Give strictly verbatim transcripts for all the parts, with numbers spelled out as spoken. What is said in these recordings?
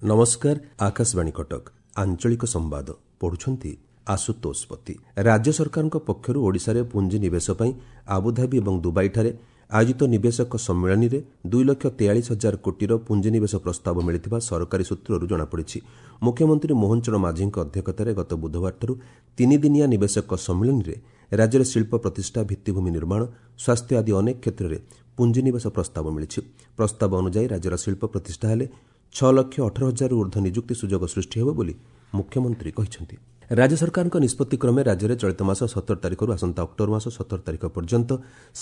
ନମସ୍କାର, ଆକାଶବାଣୀ କଟକ, ଆଞ୍ଚଳିକ ସମ୍ବାଦ ପଢୁଛନ୍ତି ଆଶୁତୋଷ ପତି। ରାଜ୍ୟ ସରକାରଙ୍କ ପକ୍ଷରୁ ଓଡ଼ିଶାରେ ପୁଞ୍ଜିନିବେଶ ପାଇଁ ଆବୁଧାବି ଏବଂ ଦୁବାଇଠାରେ ଆୟୋଜିତ ନିବେଶକ ସମ୍ମିଳନୀରେ ଦୁଇ ଲକ୍ଷ ତେୟାଳିଶ ହଜାର କୋଟିର ପୁଞ୍ଜିନିବେଶ ପ୍ରସ୍ତାବ ମିଳିଥିବା ସରକାରୀ ସୂତ୍ରରୁ ଜଣାପଡ଼ିଛି। ମୁଖ୍ୟମନ୍ତ୍ରୀ ମୋହନ ଚରଣ ମାଝୀଙ୍କ ଅଧ୍ୟକ୍ଷତାରେ ଗତ ବୁଧବାରଠାରୁ ତିନିଦିନିଆ ନିବେଶକ ସମ୍ମିଳନୀରେ ରାଜ୍ୟରେ ଶିଳ୍ପ ପ୍ରତିଷ୍ଠା, ଭିତ୍ତିଭୂମି ନିର୍ମାଣ, ସ୍ୱାସ୍ଥ୍ୟ ଆଦି ଅନେକ କ୍ଷେତ୍ରରେ ପୁଞ୍ଜିନିବେଶ ପ୍ରସ୍ତାବ ମିଳିଛି। ପ୍ରସ୍ତାବ ଅନୁଯାୟୀ ରାଜ୍ୟର ଶିଳ୍ପ ପ୍ରତିଷ୍ଠା ହେଲେ ଛଅ ଲକ୍ଷ ଅଠର ହଜାରରୁ ଉର୍ଦ୍ଧ୍ୱ ନିଯୁକ୍ତି ସୁଯୋଗ ସୃଷ୍ଟି ହେବ ବୋଲି ମୁଖ୍ୟମନ୍ତ୍ରୀ କହିଛନ୍ତି। ରାଜ୍ୟ ସରକାରଙ୍କ ନିଷ୍ପତ୍ତି କ୍ରମେ ରାଜ୍ୟରେ ଚଳିତ ମାସ ସତର ତାରିଖରୁ ଆସନ୍ତା ଅକ୍ଟୋବର ମାସ ସତର ତାରିଖ ପର୍ଯ୍ୟନ୍ତ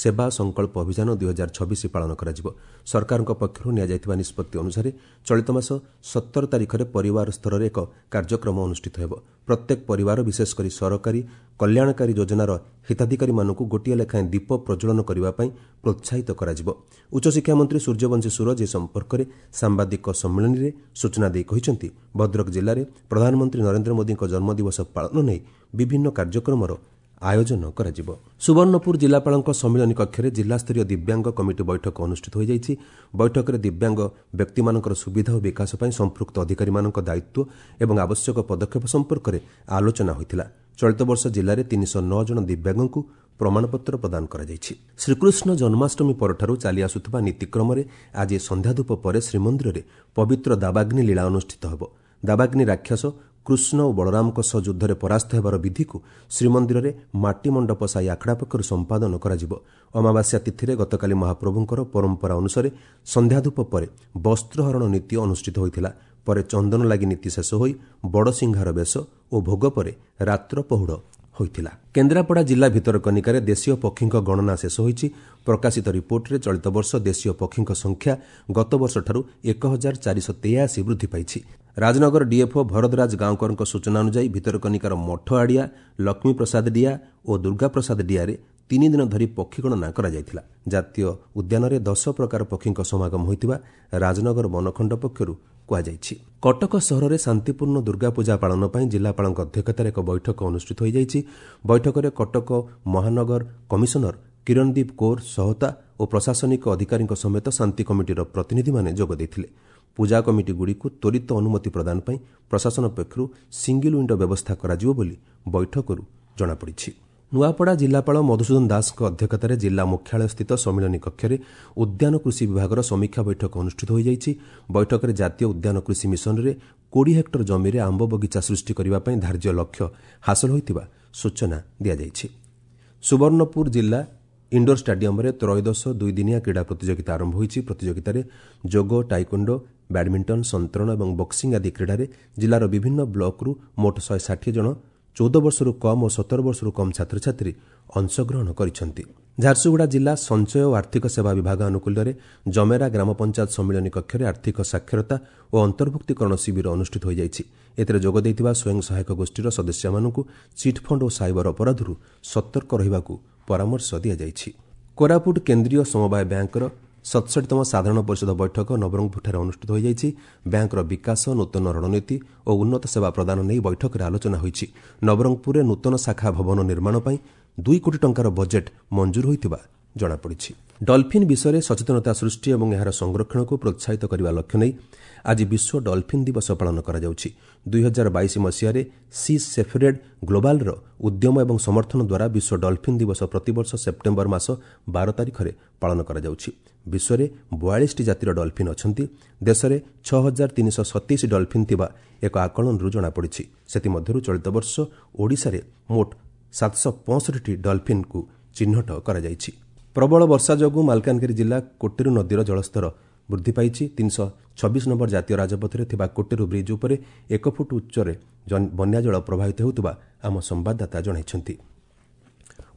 ସେବା ସଂକଳ୍ପ ଅଭିଯାନ ଦୁଇ ହଜାର ଛବିଶ ପାଳନ କରାଯିବ। ସରକାରଙ୍କ ପକ୍ଷରୁ ନିଆଯାଇଥିବା ନିଷ୍ପତ୍ତି ଅନୁସାରେ ଚଳିତ ମାସ ସତର ତାରିଖରେ ପରିବାର ସ୍ତରରେ ଏକ କାର୍ଯ୍ୟକ୍ରମ ଅନୁଷ୍ଠିତ ହେବ। ପ୍ରତ୍ୟେକ ପରିବାର, ବିଶେଷ କରି ସରକାରୀ କଲ୍ୟାଣକାରୀ ଯୋଜନାର ହିତାଧିକାରୀମାନଙ୍କୁ ଗୋଟିଏ ଲେଖାଏଁ ଦୀପ ପ୍ରଜ୍ୱଳନ କରିବା ପାଇଁ ପ୍ରୋତ୍ସାହିତ କରାଯିବ। ଉଚ୍ଚଶିକ୍ଷା ମନ୍ତ୍ରୀ ସୂର୍ଯ୍ୟବଂଶୀ ସୂରଜ ଏ ସମ୍ପର୍କରେ ସାମ୍ବାଦିକ ସମ୍ମିଳନୀରେ ସୂଚନା ଦେଇ କହିଛନ୍ତି, ଭଦ୍ରକ ଜିଲ୍ଲାରେ ପ୍ରଧାନମନ୍ତ୍ରୀ ନରେନ୍ଦ୍ର ମୋଦିଙ୍କ ଜନ୍ମଦିବସ ପାଳନ ନେଇ ବିଭିନ୍ନ କାର୍ଯ୍ୟକ୍ରମର ଆୟୋଜନ କରାଯିବ। ସୁବର୍ଣ୍ଣପୁର ଜିଲ୍ଲାପାଳଙ୍କ ସମ୍ମିଳନୀ କକ୍ଷରେ ଜିଲ୍ଲାସ୍ତରୀୟ ଦିବ୍ୟାଙ୍ଗ କମିଟି ବୈଠକ ଅନୁଷ୍ଠିତ ହୋଇଯାଇଛି। ବୈଠକରେ ଦିବ୍ୟାଙ୍ଗ ବ୍ୟକ୍ତିମାନଙ୍କର ସୁବିଧା ଓ ବିକାଶ ପାଇଁ ସମ୍ପୃକ୍ତ ଅଧିକାରୀମାନଙ୍କ ଦାୟିତ୍ୱ ଏବଂ ଆବଶ୍ୟକ ପଦକ୍ଷେପ ସମ୍ପର୍କରେ ଆଲୋଚନା ହୋଇଥିଲା। ଚଳିତ ବର୍ଷ ଜିଲ୍ଲାରେ ତିନିଶହ ନଅ ଜଣ ଦିବ୍ୟାଙ୍ଗଙ୍କୁ ପ୍ରମାଣପତ୍ର ପ୍ରଦାନ କରାଯାଇଛି। ଶ୍ରୀକୃଷ୍ଣ ଜନ୍ମାଷ୍ଟମୀ ପରଠାରୁ ଚାଲିଆସୁଥିବା ନୀତିକ୍ରମରେ ଆଜି ସନ୍ଧ୍ୟାଧୂପ ପରେ ଶ୍ରୀମନ୍ଦିରରେ ପବିତ୍ର ଦାବାଗ୍ନି ଲୀଳା ଅନୁଷ୍ଠିତ ହେବ। ଦାବାଗ୍ନି ରାକ୍ଷସ କୃଷ୍ଣ ଓ ବଳରାମଙ୍କ ସହ ଯୁଦ୍ଧରେ ପରାସ୍ତ ହେବାର ବିଧିକୁ ଶ୍ରୀମନ୍ଦିରରେ ମାଟି ମଣ୍ଡପ ସାହି ଆଖଡ଼ା ପକ୍ଷରୁ ସମ୍ପାଦନ କରାଯିବ। ଅମାବାସ୍ୟା ତିଥିରେ ଗତକାଲି ମହାପ୍ରଭୁଙ୍କର ପରମ୍ପରା ଅନୁସାରେ ସନ୍ଧ୍ୟାଧୂପ ପରେ ବସ୍ତ୍ରହରଣ ନୀତି ଅନୁଷ୍ଠିତ ହୋଇଥିଲା। ପରେ ଚନ୍ଦନ ଲାଗି ନୀତି ଶେଷ ହୋଇ ବଡ଼ସିଂହାର ବେଶ ଓ ଭୋଗ ପରେ ରାତ୍ର ପହୁଡ଼ ହୋଇଥିଲା। କେନ୍ଦ୍ରାପଡ଼ା ଜିଲ୍ଲା ଭିତରକନିକାରେ ଦେଶୀୟ ପକ୍ଷୀଙ୍କ ଗଣନା ଶେଷ ହୋଇଛି। ପ୍ରକାଶିତ ରିପୋର୍ଟରେ ଚଳିତ ବର୍ଷ ଦେଶୀୟ ପକ୍ଷୀଙ୍କ ସଂଖ୍ୟା ଗତବର୍ଷଠାରୁ ଏକ ହଜାର ଚାରିଶହ ତେୟାଅଶୀ ବୃଦ୍ଧି ପାଇଛି। ରାଜନଗର ଡିଏଫ୍ଓ ଭରଦରାଜ ଗାଁକରଙ୍କ ସୂଚନା ଅନୁଯାୟୀ ଭିତରକନିକାର ମଠ ଆଡ଼ିଆ, ଲକ୍ଷ୍ମୀପ୍ରସାଦ ଡିଆ ଓ ଦୁର୍ଗାପ୍ରସାଦ ଡିଆରେ ତିନି ଦିନ ଧରି ପକ୍ଷୀ ଗଣନା କରାଯାଇଥିଲା। ଜାତୀୟ ଉଦ୍ୟାନରେ ଦଶ ପ୍ରକାର ପକ୍ଷୀଙ୍କ ସମାଗମ ହୋଇଥିବା ରାଜନଗର ବନଖଣ୍ଡ ପକ୍ଷରୁ କୁହାଯାଇଛି। କଟକ ସହରରେ ଶାନ୍ତିପୂର୍ଣ୍ଣ ଦୁର୍ଗାପୂଜା ପାଳନ ପାଇଁ ଜିଲ୍ଲାପାଳଙ୍କ ଅଧ୍ୟକ୍ଷତାରେ ଏକ ବୈଠକ ଅନୁଷ୍ଠିତ ହୋଇଯାଇଛି। ବୈଠକରେ କଟକ ମହାନଗର କମିଶନର କିରଣଦୀପ କୌର ସହତା ଓ ପ୍ରଶାସନିକ ଅଧିକାରୀଙ୍କ ସମେତ ଶାନ୍ତି କମିଟିର ପ୍ରତିନିଧିମାନେ ଯୋଗ ଦେଇଥିଲେ। ପୂଜା କମିଟିଗୁଡ଼ିକୁ ତ୍ୱରିତ ଅନୁମତି ପ୍ରଦାନ ପାଇଁ ପ୍ରଶାସନ ପକ୍ଷରୁ ସିଙ୍ଗିଲ୍ ୱିଣ୍ଡୋ ବ୍ୟବସ୍ଥା କରାଯିବ ବୋଲି ବୈଠକରୁ ଜଣାପଡ଼ିଛି। ନୂଆପଡ଼ା ଜିଲ୍ଲାପାଳ ମଧୁସୂଦନ ଦାସଙ୍କ ଅଧ୍ୟକ୍ଷତାରେ ଜିଲ୍ଲା ମୁଖ୍ୟାଳୟସ୍ଥିତ ସମ୍ମିଳନୀ କକ୍ଷରେ ଉଦ୍ୟାନ କୃଷି ବିଭାଗର ସମୀକ୍ଷା ବୈଠକ ଅନୁଷ୍ଠିତ ହୋଇଯାଇଛି। ବୈଠକରେ ଜାତୀୟ ଉଦ୍ୟାନ କୃଷି ମିଶନରେ କୋଡ଼ିଏ ହେକ୍ଟର ଜମିରେ ଆମ୍ବ ବଗିଚା ସୃଷ୍ଟି କରିବା ପାଇଁ ଧାର୍ଯ୍ୟ ଲକ୍ଷ୍ୟ ହାସଲ ହୋଇଥିବା ସୂଚନା ଦିଆଯାଇଛି। ସୁବର୍ଣ୍ଣପୁର ଜିଲ୍ଲା ଇଣ୍ଡୋର ଷ୍ଟାଡିୟମରେ ତ୍ରୟୋଦଶ ଦୁଇଦିନିଆ କ୍ରୀଡ଼ା ପ୍ରତିଯୋଗିତା ଆରମ୍ଭ ହୋଇଛି। ପ୍ରତିଯୋଗିତାରେ ଯୋଗ, ଟାଇକୋଣ୍ଡୋ, ବ୍ୟାଡମିଣ୍ଟନ, ସନ୍ତରଣ ଏବଂ ବକ୍ସିଂ ଆଦି କ୍ରୀଡ଼ାରେ ଜିଲ୍ଲାର ବିଭିନ୍ନ ବ୍ଲକରୁ ମୋଟ ଶହେ ଷାଠିଏ ଜଣ ଚଉଦ ବର୍ଷରୁ କମ୍ ଓ ସତର ବର୍ଷରୁ କମ୍ ଛାତ୍ରଛାତ୍ରୀ ଅଂଶଗ୍ରହଣ କରିଛନ୍ତି। ଝାରସୁଗୁଡ଼ା ଜିଲ୍ଲା ସଞ୍ଚୟ ଓ ଆର୍ଥିକ ସେବା ବିଭାଗ ଆନୁକୂଲ୍ୟରେ ଜମେରା ଗ୍ରାମ ପଞ୍ଚାୟତ ସମ୍ମିଳନୀ କକ୍ଷରେ ଆର୍ଥିକ ସାକ୍ଷରତା ଓ ଅନ୍ତର୍ଭୁକ୍ତୀକରଣ ଶିବିର ଅନୁଷ୍ଠିତ ହୋଇଯାଇଛି। ଏଥିରେ ଯୋଗ ଦେଇଥିବା ସ୍ୱୟଂ ସହାୟକ ଗୋଷ୍ଠୀର ସଦସ୍ୟମାନଙ୍କୁ ଚିଟ୍ଫଣ୍ଡ ଓ ସାଇବର ଅପରାଧରୁ ସତର୍କ ରହିବାକୁ ପରାମର୍ଶ ଦିଆଯାଇଛି। କୋରାପୁଟ କେନ୍ଦ୍ରୀୟ ସମବାୟ ବ୍ୟାଙ୍କର ସତଷଠିତମ ସାଧାରଣ ପରିଷଦ ବୈଠକ ନବରଙ୍ଗପୁରଠାରେ ଅନୁଷ୍ଠିତ ହୋଇଯାଇଛି। ବ୍ୟାଙ୍କର ବିକାଶ, ନୂତନ ରଣନୀତି ଓ ଉନ୍ନତ ସେବା ପ୍ରଦାନ ନେଇ ବୈଠକରେ ଆଲୋଚନା ହୋଇଛି। ନବରଙ୍ଗପୁରରେ ନୂତନ ଶାଖା ଭବନ ନିର୍ମାଣ ପାଇଁ ଦୁଇ କୋଟି ଟଙ୍କାର ବଜେଟ୍ ମଞ୍ଜୁର ହୋଇଥିବା ଜଣାପଡ଼ିଛି। ଡଲ୍ଫିନ୍ ବିଷୟରେ ସଚେତନତା ସୃଷ୍ଟି ଏବଂ ଏହାର ସଂରକ୍ଷଣକୁ ପ୍ରୋତ୍ସାହିତ କରିବା ଲକ୍ଷ୍ୟ ନେଇ ଆଜି ବିଶ୍ୱ ଡଲ୍ଫିନ୍ ଦିବସ ପାଳନ କରାଯାଉଛି। ଦୁଇ ହଜାର ବାଇଶ ମସିହାରେ ସି ସେଫରେଡ୍ ଗ୍ଲୋବାଲ୍ର ଉଦ୍ୟମ ଏବଂ ସମର୍ଥନ ଦ୍ୱାରା ବିଶ୍ୱ ଡଲ୍ଫିନ୍ ଦିବସ ପ୍ରତିବର୍ଷ ସେପ୍ଟେମ୍ବର ମାସ ବାର ତାରିଖରେ ପାଳନ କରାଯାଉଛି। ବିଶ୍ୱରେ ବୟାଳିଶଟି ଜାତିର ଡଲ୍ଫିନ୍ ଅଛନ୍ତି। ଦେଶରେ ଛଅ ହଜାର ତିନିଶହ ସତେଇଶ ଡଲ୍ଫିନ୍ ଥିବା ଏକ ଆକଳନରୁ ଜଣାପଡ଼ିଛି। ସେଥିମଧ୍ୟରୁ ଚଳିତ ବର୍ଷ ଓଡ଼ିଶାରେ ମୋଟ ସାତଶହ ପଞ୍ଚଷଠିଟି ଡଲ୍ଫିନ୍କୁ ଚିହ୍ନଟ କରାଯାଇଛି। ପ୍ରବଳ ବର୍ଷା ଯୋଗୁଁ ମାଲକାନଗିରି ଜିଲ୍ଲା କୋଟେରୁ ନଦୀର ଜଳସ୍ତର ବୃଦ୍ଧି ପାଇଛି। ତିନିଶହ ଛବିଶ ନମ୍ବର ଜାତୀୟ ରାଜପଥରେ ଥିବା କୋଟେରୁ ବ୍ରିଜ୍ ଉପରେ ଏକ ଫୁଟ ଉଚ୍ଚରେ ବନ୍ୟାଜଳ ପ୍ରବାହିତ ହେଉଥିବା ଆମ ସମ୍ବାଦଦାତା ଜଣାଇଛନ୍ତି।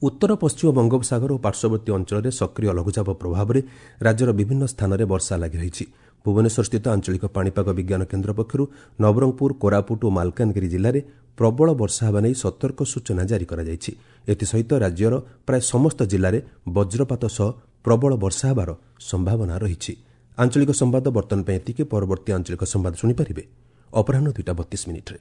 ଉତ୍ତର ପଶ୍ଚିମ ବଙ୍ଗୋପସାଗର ଓ ପାର୍ଶ୍ୱବର୍ତ୍ତୀ ଅଞ୍ଚଳରେ ସକ୍ରିୟ ଲଘୁଚାପ ପ୍ରଭାବରେ ରାଜ୍ୟର ବିଭିନ୍ନ ସ୍ଥାନରେ ବର୍ଷା ଲାଗି ରହିଛି। ଭୁବନେଶ୍ୱରସ୍ଥିତ ଆଞ୍ଚଳିକ ପାଣିପାଗ ବିଜ୍ଞାନ କେନ୍ଦ୍ର ପକ୍ଷରୁ ନବରଙ୍ଗପୁର, କୋରାପୁଟ ଓ ମାଲକାନଗିରି ଜିଲ୍ଲାରେ ପ୍ରବଳ ବର୍ଷା ହେବା ନେଇ ସତର୍କ ସୂଚନା ଜାରି କରାଯାଇଛି। ଏଥିସହିତ ରାଜ୍ୟର ପ୍ରାୟ ସମସ୍ତ ଜିଲ୍ଲାରେ ବଜ୍ରପାତ ସହ ପ୍ରବଳ ବର୍ଷା ହେବାର ସମ୍ଭାବନା ରହିଛି। ଆଞ୍ଚଳିକ ସମ୍ବାଦ ବର୍ତ୍ତମାନ ପାଇଁ ଏତିକି। ପରବର୍ତ୍ତୀ ଆଞ୍ଚଳିକ ସମ୍ବାଦ ଶୁଣିପାରିବେ ଅପରାହ୍ନ ଦୁଇଟା ବତିଶ ମିନିଟ୍ରେ।